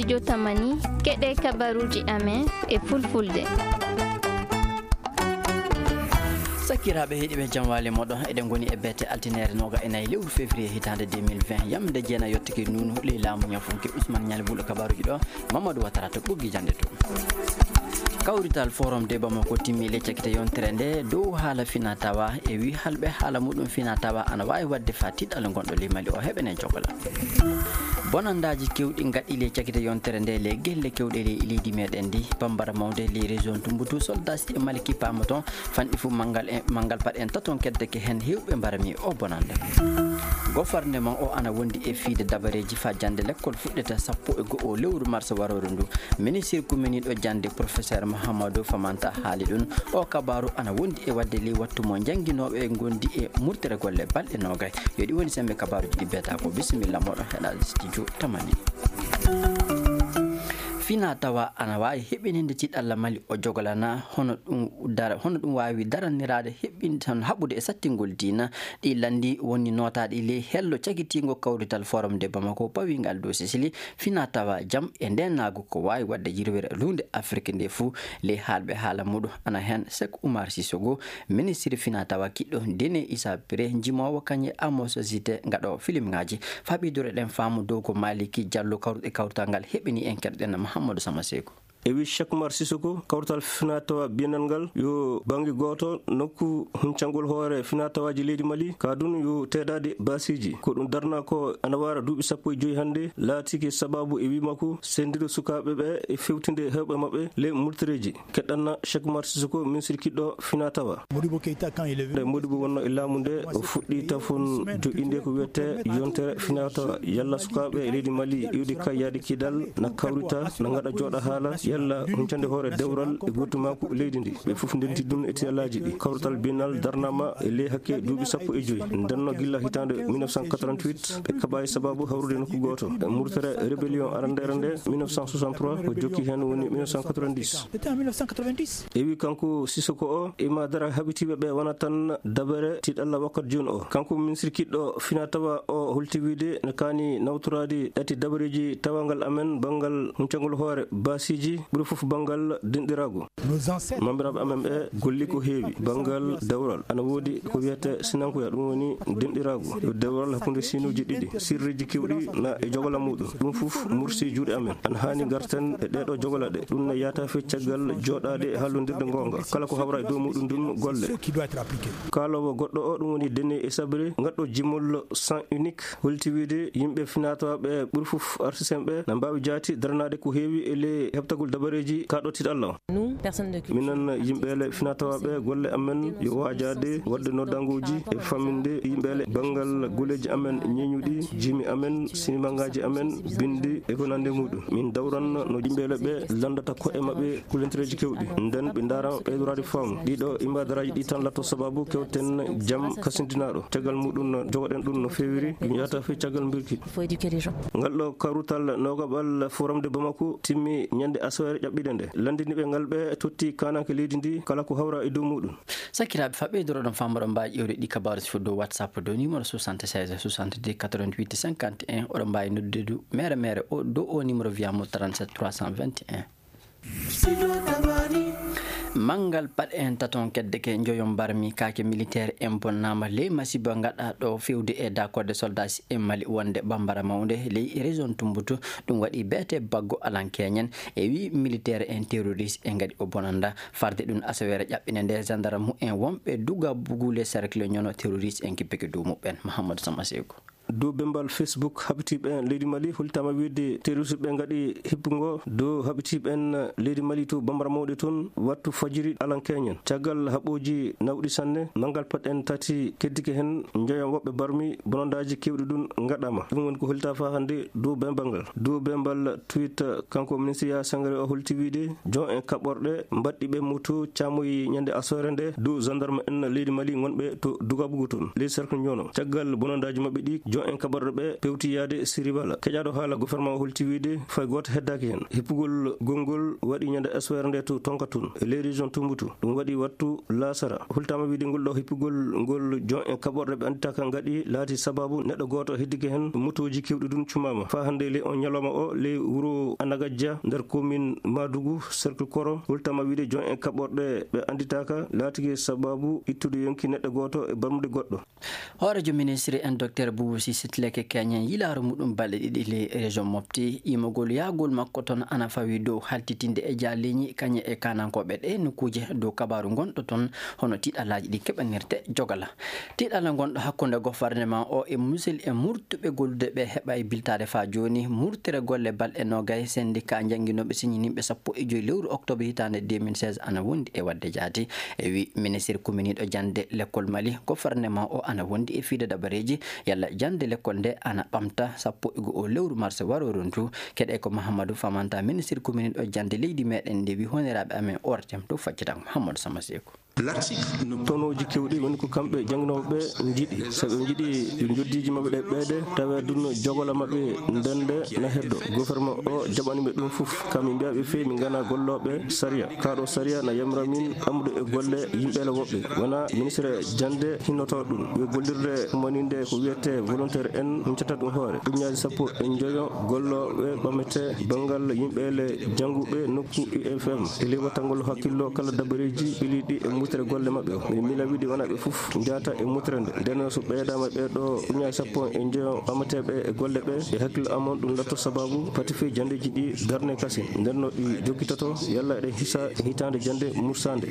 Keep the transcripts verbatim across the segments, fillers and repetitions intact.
Jotamani, keɗe kabaruuji amen e fulfulde. Sakiraaɓe heɗiiɓe, jam waali moɗon. Eɗen ngoni e beete altineere nooga e nayi lewru février hitaande deux mille vingt. Yamde jeena yottike nuunu ley laamu ñafunke Ousmane Ñaali Bulo kabaruuji ɗo, Mamadou Watara to ɓoggi jannde to. Kawrital Forum de Bamako timmi le cakite yontere nde dow haala fina tawa e wi halɓe haala muɗum fina tawa ana waawi waɗde fa tiɗal ngonɗo ley Mali o heɓene jogola. Bonandaaji kewɗi ngaɗi le cakite yontere nde le gelle kewɗe ley leydi meɗen ndi. Bambara mawde ley région Tumbutu, soldat e Mali kippaama toon, fanɗi fu manngal e, manngal paɗ en taton keddeke heen heewɓe mbarami o bonande. Gofarnde man o ana wondi e fiide dabareeji fa jannde lekkol fuɗɗeta sappo e go'o lewru mars warooru ndu. Ministir kuminiiɗo jannde professeur Mahamadou Famanta haali ɗum. O kabaaru ana wondi e waɗde ley wattu mo jannginooɓe ngondi e murtere golle balɗe noogay. Yo ɗi woni sembe kabaaruuji ɗi beeta ko. Bisimilla moɗon heɗaade studio tamani. Fina tawa ana waawi heɓininde tiɗalla Mali o jogolana hono ɗum dara, hono ɗum waawi daranniraade heɓin tan haɓude e sattingol diina. Ɗi lanndi woni nootaaɗi ley hello cagitiingo kawrital Forum de Bamako pawingal dow Sicili. Fina tawa jam e ndeenaagu ko waawi waɗde yirwere luunde Afrik nde fuu ley haalɓe haala muɗum ana heen Sek Oumar Sissoko, ministiri fina tawa kiɗɗo Dene Issa Pire, njimoowo kañe Amos Zite ngaɗoowo filimŋaaji. Faɓidore ɗen faamu dow ko Maliki Diallo kawruɗe kawrital ngal heɓini en keɗoɗen Mahamadou Sama Seko. E wi Cheikh Oumar Sissoko, kawrital finatawa biennal ngal yo bannge gooto nokku huncangol hoore finatawaaji leydi Mali, ka dun yo teedaade baasiiji. Ko ɗum darna ko ana wara duuɓi sappo e joy hannde, laatiki sababu e wi makko sendiro sukaaɓe ɓe e fewtinde heewɓe maɓɓe ley murtereeji. Keɗɗanna Cheikh Oumar Sissoko, ministre kiɗɗo finatawa. Modibo Keita, quand il est venu, nde Modibo wonno e laamu nde, o fuɗɗi tafon joƴƴinde ko wiyete yontere finatawa. Yalla sukaaɓe e leydi Mali iwdi kay yaade kidal, na kawrita, na ngaɗa jooɗa haala, yalla huncande hoore dewral e gurtumaaku leydi ndi. Ɓe fof ndenti ɗum e tiyalaaji ɗi. Kawrital biennal darnama e ley hakke duuɓi sappo e joy. Ndenno gilla hitaande mille neuf cent quatre-vingt-huit, ɓe kaɓa e sababu hawrude nokku gooto. E murtere rébellion arandeere nde mille neuf cent soixante-trois, ko jokki heen woni mille neuf cent quatre-vingt-dix. C'était en mille neuf cent quatre-vingt-dix. E wi kanko Sissoko o, ima dara haɓitiiɓe ɓe wona tan dabere tiɗalla wakkati jooni o. Kanko ministre kiɗɗo fina tawa o holti wiide ne kaani nawtoraade ɗati dabareeji tawangal amen banngal huncagol hoore baasiiji, ɓuri fof banngal denɗiraagu. Nos ancêtres. Mambiraaɓe amen ɓe golli ko heewi banngal dawral. Ana woodi ko wiyete sinankuya, ɗum woni denɗiraagu. Yo dewral hakkunde sinuuji ɗiɗi, sirriiji kewɗi na e jogola muɗum. Ɗum fof mursi juuɗe amen. Ana haani garten e ɗeɗo jogola ɗe. Ɗum ne yaata fe caggal jooɗaade e haalondirde ngoonga. Kala ko hawra e dow muɗum ɗum golle. Ce qui doit être appliqué. Kaalowo goɗɗo o, ɗum woni Dene e Sabre, ngaɗɗo jimol sens unique, holti wiide yimɓe finatawa ɓe ɓuri fof artisen ɓe na mbaawi jaati daranaade ko heewi e ley heɓtagol dabareeji kaɗo tiɗalla o. Nous, personne de culture. Minen yimɓe le finatawa ɓe, golle amen yo waajaade waɗde noddanguuji e famminde yimɓe le banngal goleeji amen ñeeñuɗi, jimi amen, sinimangaaji amen, binndi e ko nande muɗum. Min dawran no yimɓe le ɓe lanndata ko'e maɓɓe kulentereeji kewɗi. Nden ɓe ndaara ɓeydoraade faamu. Ɗiɗo imbadaraji ɗi tan latto sababu kewten jam kasindinaɗo. Tegal muɗum no jogoɗen ɗum no feewiri, ɗum yahata fii caggal mbirki. Il faut éduquer les gens. Ngal ɗo karutal nogaɓal Forum de Bamako timmi ñande asoere ƴaɓɓiɗe nde. Lanndiniɓe ngal ɓe totti kananke leydi ndi kala ko hawra e dow muɗum. Sakiraaɓe, fa ɓeydoroɗon faamuɗon mbaawi ƴeewde ɗi kabaaru sifo dow WhatsApp dow numéro soixante-seize soixante-deux quatre-vingt-huit cinquante et un. Oɗon mbaawi noddude du mere mere o dow o numéro via mo trente-sept trois cent vingt et un. Manngal paɗe en taton kedde ke njoyon barmi kaake militaire en bonnaama ley masiba ngaɗa ɗo fewde e dakorde soldats en Mali wonde Bambara Mawnde ley région Tumbutu. Ɗum waɗi beete baggo alankeñen e wi militaire en terroriste en ngaɗi o bonanda. Farde ɗum asaweere ƴaɓɓinde nde gendarme en wonɓe duga bugule cercle ñono terroriste en kippike dow muɓɓen. Mahamadou Sama Seyku. Dow bembal Facebook, haɓitiiɓe en leydi Mali holtama wiide terroriste ɓe ngaɗi hippungo dow haɓitiiɓe en leydi Mali to Bambara Mawɗe toon wattu fajiri alankeñen. Caggal haɓooji nawɗi sanne, manngal paɗ en tati keddike heen, njoyon woɓɓe barmi, bonondaaji keewɗi ɗum ngaɗama. Ɗum woni ko holta fa hannde dow bembal ngal. Dow bembal tweet, kanko ministre Yaya Sangare o holti wiide, jon en kaɓorɗe mbaɗɗi ɓe moto caamoyi ñande asoore nde dow gendarme en leydi Mali ngonɓe to Dugabugu toon, ley cercle Ñono. Caggal bonondaaji maɓɓe ɗi, Yo en kaɓorɗo ɓe pewti yaade Siribala. Keƴaaɗo haala gouvernement o holti wiide fay gooto heddaaki heen. Hippugol gonngol waɗi ñande aswere nde to Tonkatun, e ley région Tumbutu. Ɗum waɗi wattu laasara. Hultaama wiide ngol ɗo hippugol ngol jon en kaɓorɗe ɓe annditaaka ngaɗi laati sababu neɗɗo gooto heddike heen, motooji keewɗi ɗum cumaama. Faa hannde ley on ñalawma o, ley wuro Anagajja nder commune Madugu, cercle Koro, hultaama wiide jon en kaɓorɗe ɓe annditaaka laatike sababu ittude yonki neɗɗo gooto e barmude goɗɗo. Hooreejo ministre en, Docteur Boubou Cissé Tileke Keñen, yilaaro muɗum balɗe ɗiɗi ley région Mopti, yimagol yahgol makko toon ana fawi dow haltitinde e jaaliiñi kañe e kaanankooɓe ɗe nokkuuje dow kabaaru ngonɗo toon, hono tiiɗalaaji ɗi keɓanirte jogala. Tiiɗalla ngonɗo hakkunde gouvernement o e musel e murtuɓe gollude ɓe heɓa e biltaade faa jooni, murtere golle balɗe noogay sendika jannginooɓe siñininɓe sappo e joy lewru octobre hitaande deux mille seize ana wondi e waɗde jaati. E wi ministre kuminiiɗo jannde lekkol Mali, gouvernement o ana wondi e fiide dabareeji yalla jannde lekkol nde ana ɓamta sappo e go'o lewru mars waro rontu. Keɗe ko Mahamadou Famanta, ministre kuminiiɗo jannde leydi meɗen nde wi honoraaɓe amen O R T M to faccitango Mahamadou Sama Seeku. Tonooji kewɗi woni ko kamɓe jannginooɓe ɓe njiɗi. So ɓe njiɗi yo njoddiiji maɓɓe ɗe ɓeyde, tawa ɗum jogola maɓɓe ndende na heddo. Gouvernement o jaɓani ɓe ɗum fof. Kam min mbiya ɓe feewi min ngana gollooɓe sariya. Kaɗo sariya na yamira min amude e golle yimɓe le woɓɓe. Wona ministre jannde hinnoto ɗum. Yo gollirde ummaniinde ko wiyete volontaire en huncata ɗum hoore. Ujunnaaji sappo e njoyo gollooɓe ɓamete banngal yimɓe le jannguɓe nokku I F M. E ley wattangol hakkillo kala dabareeji ɓiliiɗi e mutere golle maɓɓe o. Min mila wiide wona ɓe fof njahata e mutere nde. Nden so ɓeydaama ɓee ɗo ujunnaaji sappo e njoyo ɓamateeɓe e golle ɓe, e hakkillo amon ɗum latto sababu pati fii janndeeji ɗi darne kasin. Nden no ɗi jokkitoto yalla eɗen hisa e hitaande jannde mursaande.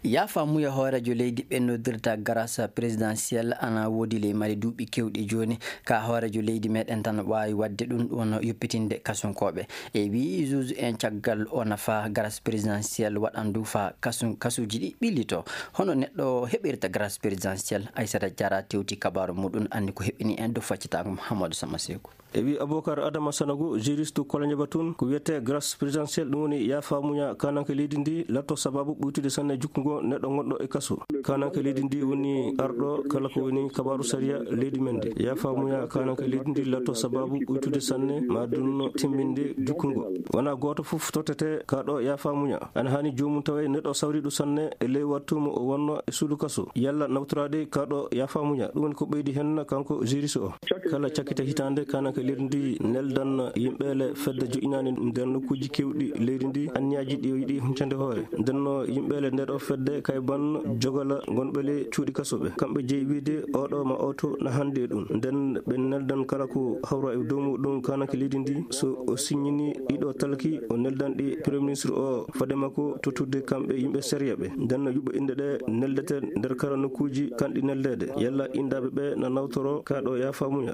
Yaafa muya hooreejo leydi ɓe noddirta grâce présidentielle ana woodi ley Mali duuɓi kewɗi jooni. Ka hooreejo leydi meɗen tan waawi waɗde ɗum, ɗum wonno yoppitinde kasunkooɓe. E wii juge en caggal o nafa grâce présidentielle waɗandu fa kasu-, kasuuji ɗi ɓillito. Hono neɗɗo heɓirta grâce présidentielle? Aissata Diarra tewti kabaaru muɗum, anndi ko heɓini en dow faccitaango Mahamadou Sama Seeku. E wi Aboubacar Adama Sanogo, juriste Kolonjaba tun, ko wiyete grâce présidentielle, ɗum woni yaafa muña kananke leydi ndi, latto sababu ɓuytude sanne jukkungo neɗɗo gonɗo e kaso. Kananke leydi ndi woni arɗo kala ko woni kabaaru sariya leydi men ndi. Yaafa muña kananke leydi ndi latto sababu ɓuytude sanne ma dunno timminde jukkungo. Wona gooto fof tottete ka ɗo yaafa muña. Ana hani joomum tawe neɗɗo sawriɗo sanne e ley wattu mo o wonno e suudu kaso. Yalla nawtoraade ka ɗo yaafa muña. Ɗum woni ko ɓeydi hen kanko juriste o. Kala cakkite hitaande, kananke leydi ndi neldan yimɓe le fedde joƴƴinaande nder nokkuuji keewɗi leydi ndi, anniyaaji ɗi o yiɗi huncande hoore. Nden no yimɓe le nder o fedde kayban jogala gonɓe le cuuɗi kasoɓe. Kamɓe jeyi wiide oɗo ma oto na hannde e ɗum. Nden ɓe neldan kala ko hawra e dow muɗum kananke leydi ndi. So o siññini ɗiɗo talki, o neldan ɗi Premier Ministre o fade makko tottude kamɓe yimɓe sariya ɓe. Nden no yuɓɓo inɗe ɗe neldete nder kala nokkuuji kanɗi neldeede. Yalla inɗaaɓe ɓe na nawtoro ka ɗo yaafa muña.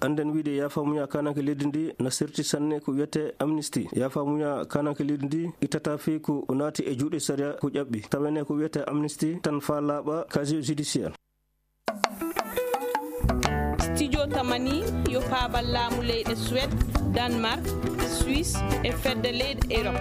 Annden wiide yaafa muña kananke leydi ndi na serti sanne ko wiyete amnistie. Yaafa muña kananke leydi ndi ittata fii ko naati e juuɗe sariya ko ƴaɓɓi. Tawene ko wiyete amnistie tan fa laaɓa casier judiciaire. Studio Tamani yo paabal laamu leyɗe Suède, Danemark, Suisse e fedde leyɗe Europe.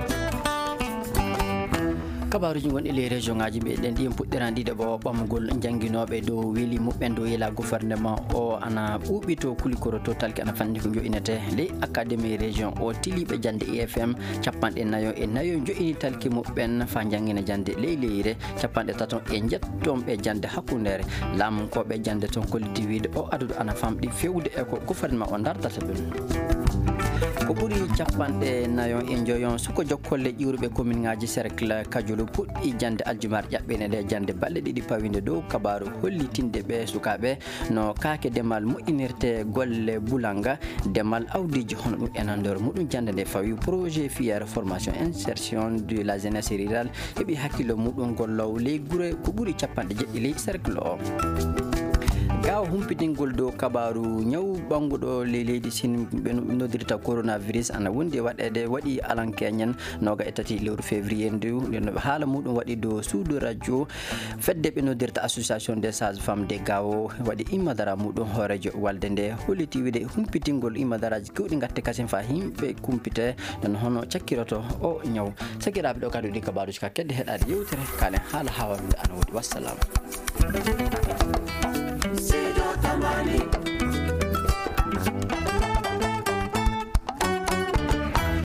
Kabaaruuji gonɗi ley région ŋaaji meɗen ɗi, puɗɗiran ɗiɗo ɓo ɓamugol jannginooɓe dow weli muɓɓen dow yela gouvernement o ana ɓuuɓi to Kulikoro to talki ana fanni ko jo'inete ley académie région o tiliiɓe jannde I F M capanɗe nayo e nayo jo'ini talki muɓɓen fa janngina jannde ley leyre. Capanɗe tato e njettomɓe jannde hakkundeere. Laamunkooɓe jannde toon kolliti wiide o aduɗo ana famɗi fewde e ko gouvernement o dartata ɗum. Ko ɓuri capanɗe nayo e njoyon suko jokkolle ƴiwruɓe commune ŋaaji cercle Kajulu puɗɗi jannde aljumar ƴaɓɓine nde jannde balɗe ɗiɗi pawinde dow kabaaru hollitinde ɓe sukaaɓe no kaake demal moƴƴinirte golle bulanga demal awdiiji hono ɗum e nanndor muɗum. Jannde nde fawi projet filière formation insertion de la jeunesse rurale heɓi hakkillo muɗum gollowo ley gure ko ɓuri capanɗe jeɗɗi ley cercle o. Gaawo humpitingol dow kabaaru ñaw ɓannguɗo ley leydi Sin ɓe no-, noddirta coronavirus ana wondi e waɗeede waɗi alankeñen nooga e tati lewru février ndu. Nden no haala muɗum waɗi dow suudu radio fedde ɓe noddirta Association des Sages-Femmes de Gao waɗi immadara muɗum hooreejo walde nde holliti wiide humpitingol immadaraaji kewɗi ngatte kasin fa yimɓe kumpite. Nden hono cakkiroto o ñaw. Sakiraaɓe, ɗo kadi ɗi kabaaruuji ka kedde heɗaade yewtere kaalen haala haawandude ana woodi. Wassalam.